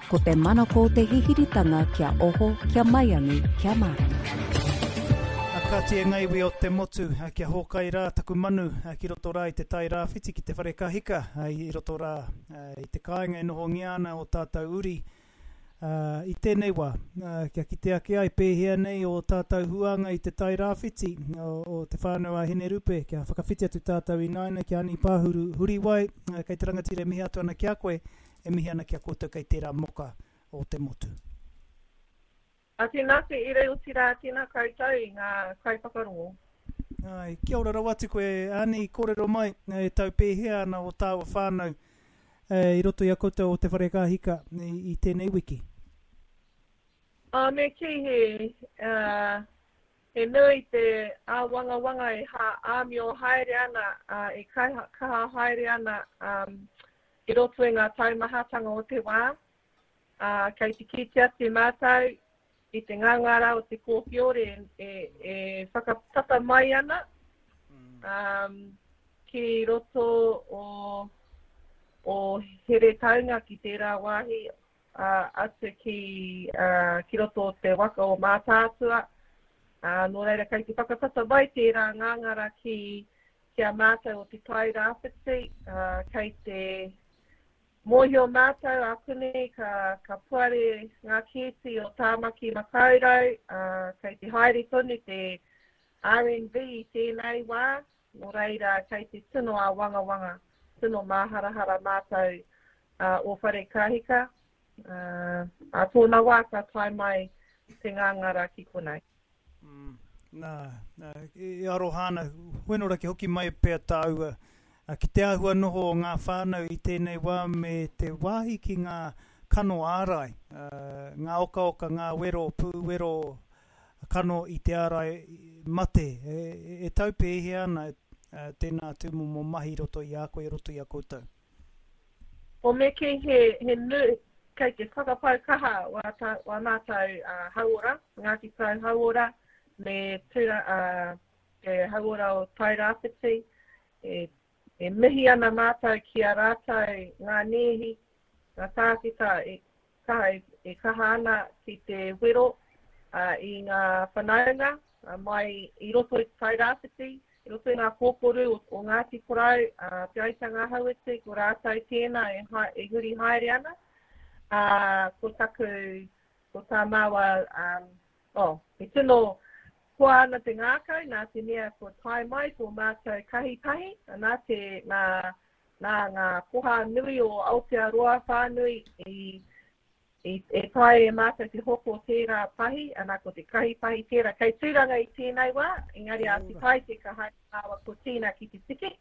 Ko te manako o te hihiritanga kia oho, kia maiangi, kia mārama. A Kati e nga iwi o te motu, kia hōkai rā taku manu ki roto rā i te tai rāwhiti ki te whare kahika i roto rā i te kāinga e nohongia ana o tātou uri i tēnei wā, kia kite ake ai pēhea nei ō tātou huānga i te tai rāwhiti o Te Whānau a Hinerupe, kia whakawhiti atu tātou ināianei ki a Ani Pāhuru Huriwai, kei te rangatira e mihi atu ana ki a koe, e mihi ana ki a koutou kei tērā moka o te motu. A tēnā te ere otirā tēnā koutou i ngā kaiwhakarongo. Āe, kia ora rawa atu koe Ani, kōrero mai, e tau pēhea ana ō tāua whānau i roto i a koutou o Te Whare Kāhika i tēnei wiki? Ā, me kī he, he nui te āwangawanga e āmio haere ana, ā, e kaha haere ana i roto i ngā taumahatanga o te wā. Ā, kei te kite atu mātou i te ngangara o te kōwhiore e, e whakatata mai ana um, ki roto o, o Heretaunga ki tērā wāhi uh, atu ki, uh, ki roto o te waka o Mātaatua. Uh, nō reira, kei te whakatata mai tērā ngangara ki, ki a mātou o Te Tai Rāwhiti, uh, kei te Mōhio mātou ākuni ka, ka puare ngā kēti o Tāmaki Makaurau, ā, kei te haere tonu te RNV i tēnei wā, nō reira kei te tino āwangawanga, tino māharahara mātou ā, o Wharekahika, ā, ā tōna wā ka tae mai te ngāngara ki konei. Mm, nā, nā, e aroha ana, whenora ki hoki mai pea tāua ki te āhua noho o ngā whānau i tēnei wā me te wāhi ki ngā kano ārai, ngā okaoka, ngā wero, pūwero kano i te ārai mate. E, e tau pēhea ana tēnā tūmomo mahi i roto i a koe, i roto i a koutou? O me kī he, he nui, kei te whakapau kaha wā, tā, wā mātou uh, hauora, Ngāti Porou hauora, me tūra, uh, te hauora o Tairāwhiti. E, e mihi ana mātou ki a rātou ngā nēhi, ngā tākita e kaha, e kaha ana ki te wero uh, i ngā whanaunga uh, mai i roto i te Tairāwhiti, I roto i ngā kōkoru o, o Ngāti Porou, a Te Aitanga-a-Hauiti, ko rātou tēnā e, ha, e huri haere ana. Ā, ko taku, ko tā māua, um, oh, e tino koa ana te ngākau, nā te mea kua tae mai tō mātou kahi pahi, nā te, nā, nā ngā koha nui o Aotearoa whānui i I, e taea e mātou te hoko tērā pahi, ana ko te kahi pahi tērā kei Tūranga i tēnei wā, engari a Te Taite ka haere māua ko Tina ki te tiki,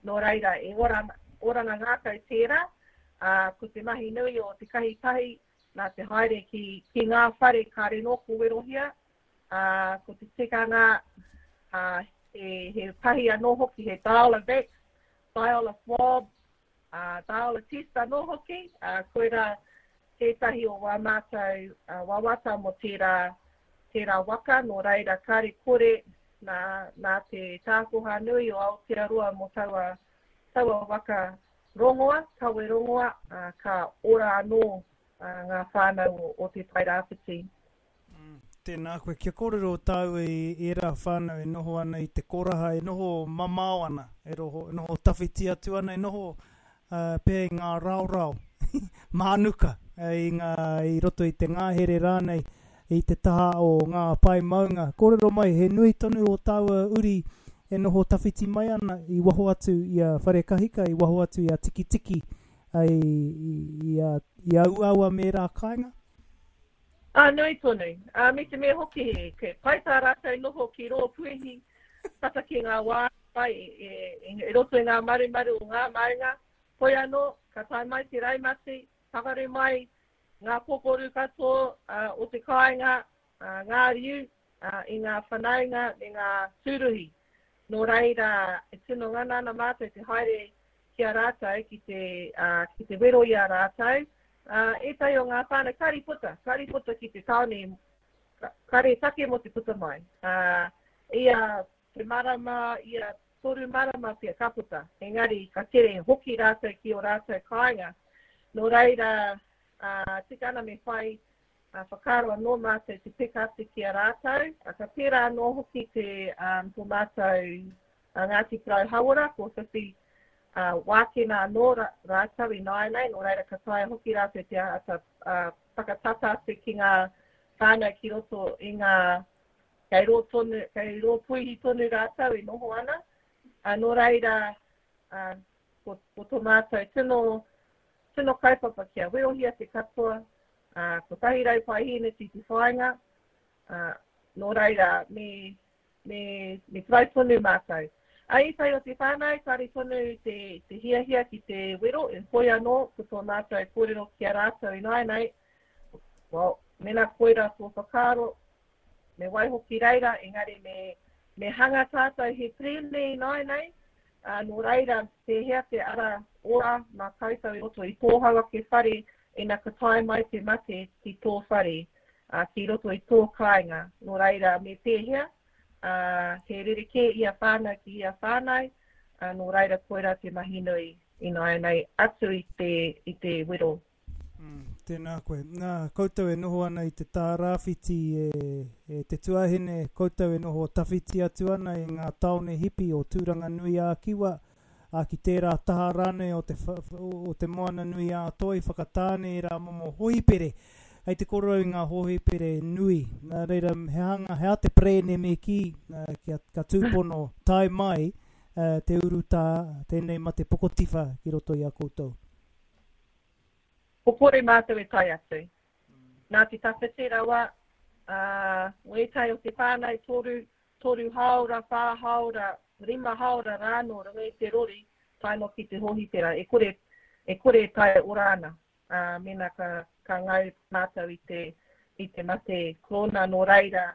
nō reira e ora, oranga ngākau tērā, ā, ko te mahi nui o te kahi pahi, nā te haere ki, ki ngā whare kāre nō ko werohia, ā, ko te tikanga, ā, he, he pahi anō hoki, he dial a vax, dial a swab, Ā, dial a test anō hoki, ā, koirā tētahi o wā mātou wawata mō tērā, tērā waka, nō reira kāre kore nā, nā te tākoha nui o Aotearoa mō taua, taua waka rongoa, kawe rongoa, ā, ka ora anō ngā whānau o, o Te Tairāwhiti. Tēnā koe. Kia kōrero tāua i ērā whānau e noho ana i te koraha, e noho mamao ana, e roho, e noho tawhiti atu ana, e noho uh, pea i ngā raorao, mānuka, i, ngā, i roto i te ngāhere rānei, i te taha o ngā pae maunga. Kōrero mai, he nui tonu o tāua uri e noho tawhiti mai ana i waho atu i a Wharekahika, i waho atu i a Tikitiki, i, i, i, a, i a Uawa me ērā kāinga? Ā, nui tonu. Ā, me te mea hoki, he pai tā rātou noho ki rō puihi, tata ki ngā wā pai e, e, e roto i ngā marumaru o ngā maunga. Hoi anō, ka tae mai te raumati, pakaru mai ngā kokoru katoa uh, o te kāinga, uh, ngā riu, uh, i ngā whanaunga me ngā tūruhi. Nō reira, e tino ngana ana mātou te haere ki a rātou, ki te, uh, ki te wero i a rātou, Ā, ētahi o ngā whānau kāre i puta, kāre i puta ki te tāone, kāre take mō te puta mai. Ā, ia te marama, ia toru marama pea ka puta, engari ka tere hoki rātou ki ō rātou kāinga. Nō reira, ā, tika ana me whai whakaaro anō mātou te peka atu ki a rātou. Ka pērā anō hoki te tō mātou Ngāti Porou Hauora, ko whiwhi wākena anō rātou ināianei, nō reira ka taea hoki rātou te āta whakatata atu ki ngā whānau ki roto i ngā, kei rō tonu, kei rō puihi tonu rātou e noho ana. Nō reira, ko, ko tō mātou tino, tino kaupapa kia werohia te katoa, ā, 100 paihēneti te whāinga, ā, nō reira, me, me, me try tonu mātou. A ētahi o te whānau, kāre tonu te, te hiahia ki te wero, e hoi anō, ko tō mātou kōrero ki a rātou ināianei, well, mena koira tō whakaaro, me waiho ki reira, engari me, me hanga tātou he perēne ināianei, ā, nō reira, pēhea te ara ora mā koutou i roto i tōhau ake whare ina ka tae mai te mate ki tō whare, ā, ki roto i tō kāinga. Nō reira, me pēhea, ā, he rerekē ia whānau ki ia whānau, ā, nō reira koirā te mahi nui ināianei atu i te, i te wero. Mm, tēnā koe. Nā, koutou e noho ana i te tārāwhiti e, e te tuahine, koutou e noho tawhiti atu ana i ngā tāone hipi o Tūranganui-ā-Kiwa, ā, ki tērā taha rānei o te, o te Moana-nui-ā-Toi, Whakatāne i rā momo hōhipere. Hei te kōrero i ngā hōhipere nui. Nā reira, he hanga, he aha te perēne me kī, kia, ka tūpono tae mai te urutā, tēnei mate pokotiwha ki roto i a koutou? Ko kore mātou e tae atu. Nā te tawhiti rawa, ā, wētahi o te whānau toru, toru hāora, whā hāora, rima hāora rānō runga i te rori tae noa ki te hōhipera. E kore, e kore e tae ora ana, ā, mēnā ka, ka ngau mātou i te, i te mate korona nō reira,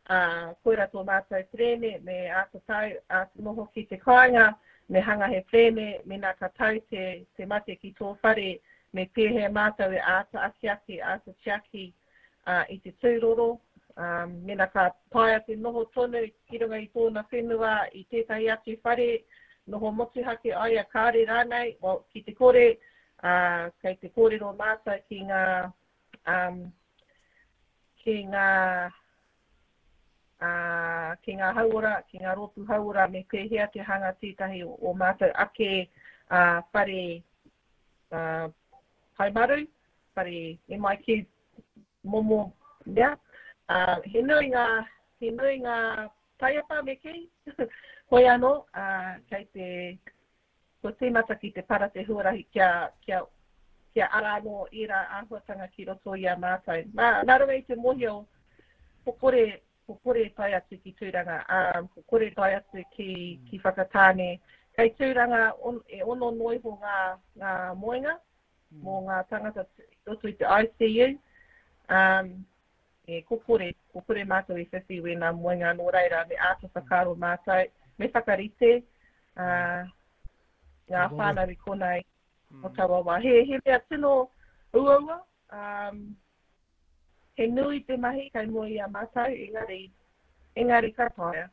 Ā, koirā tō mātou perēne, me āta tau, āta noho ki te kāinga, me hanga he perēne, mēnā ka tau te, te mate ki tō whare, me pēhea mātou e āta akiaki, āta tiaki ā, i te tūroro, ā, mēnā ka taea te noho tonu ki runga i tōna whenua i tētahi atu whare, noho motuhake ai a kāre rānei, well, ki te kore, ā, kei te kōrero mātou ki ngā, um, ki ngā, ā, ki ngā hauora, ki ngā rōpū hauora me pēhea te hanga tētahi o, o mātou ake ā, whare ā, haumaru, whare MIQ momo mea. Ā, he nui ngā, he nui ngā taiapa me kī, hoi anō, ā, kei te, Kua tīmata ki te para te huarahi kia, kia, kia ara anō ērā āhuatanga ki roto i a mātou. Nā, nā runga i te mōhio, ko kore, ko kore e tae atu ki Tūranga, ā, ko kore e tae atu ki, ki Whakatāne. Kei Tūranga on, e ono noa iho ngā, ngā moenga mō ngā tāngata i roto i te ICU. Um, E, ko kore, ko kore mātou i whiwhi wēnā moenga nō reira me āta whakaaro mātou, me whakarite ā, ngā whānau i konei o taua wā. He, he mea tino uaua, um, he nui te mahi kei mua i a mātou, engari, engari ka taea.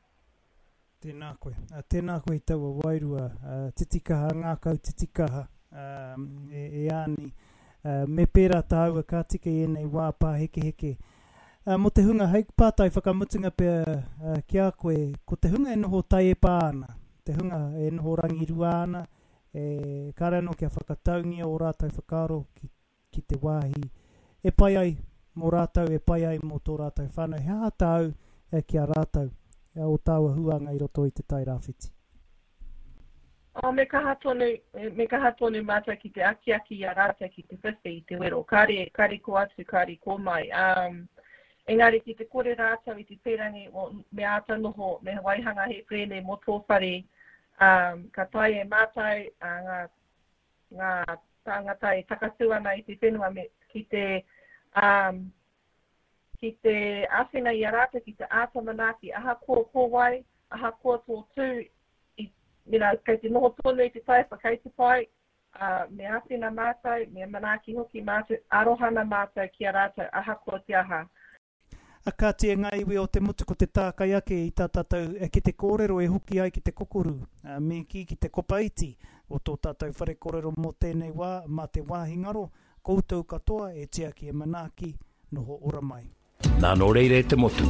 Tēnā koe. Tēnā koe i taua wairua titikaha, ngākau titikaha, e, e Ani. Me pērā tāua ka tika i ēnei wā pāhekeheke. Mō te hunga, hei pātai whakamutunga pea ki a koe, ko te hunga e noho taiepa ana, te hunga e noho rangirua ana, e, kāre anō kia whakataungia ō rātou whakaaro ki ki te wāhi e pai ai mō rātou, e pai ai mō tō rātou whānau. He aha tāu ki a rātou, o tāua huānga i roto i Te Tai Rāwhiti? Oh, me kaha tonu, me kaha tonu mātou ki te akiaki i a rātou ki te whiwhi i te wero. Kāre, kāre kō atu, kāre kō mai. Um, engari ki te kore rātou i te pērangi, well, me āta noho, me waihanga he perēne mō tō whare, um, ka taea e mātou uh, ngā ngā tāngata e takatū ana i te whenua me, ki te, um, ki te āwhina i a rātou, ki te āta manaaki, ahakoa ko wai, ahakoa tō tū, i, you know, kei te noho tonu i te taiapa, kei te pai, uh, me āwhina mātou, me manaaki hoki mātou, arohana mātou ki a rātou, ahakoa te aha. A kāti e ngā iwi o te motu ko te tākai ake i tā tātou kete kōrero e hoki ai ki te kokoru, me kī ki te kopa iti o tō tātou whare kōrero mō tēnei wā, mā te wāhi ngaro. koutou katoa e tiaki e manaaki, noho ora mai. Nā nō reira e te motu,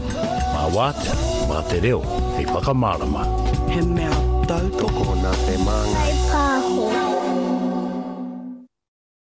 mā Wātea, mā te reo, hei whakamārama. He mea tautoko. Tokona te māngai.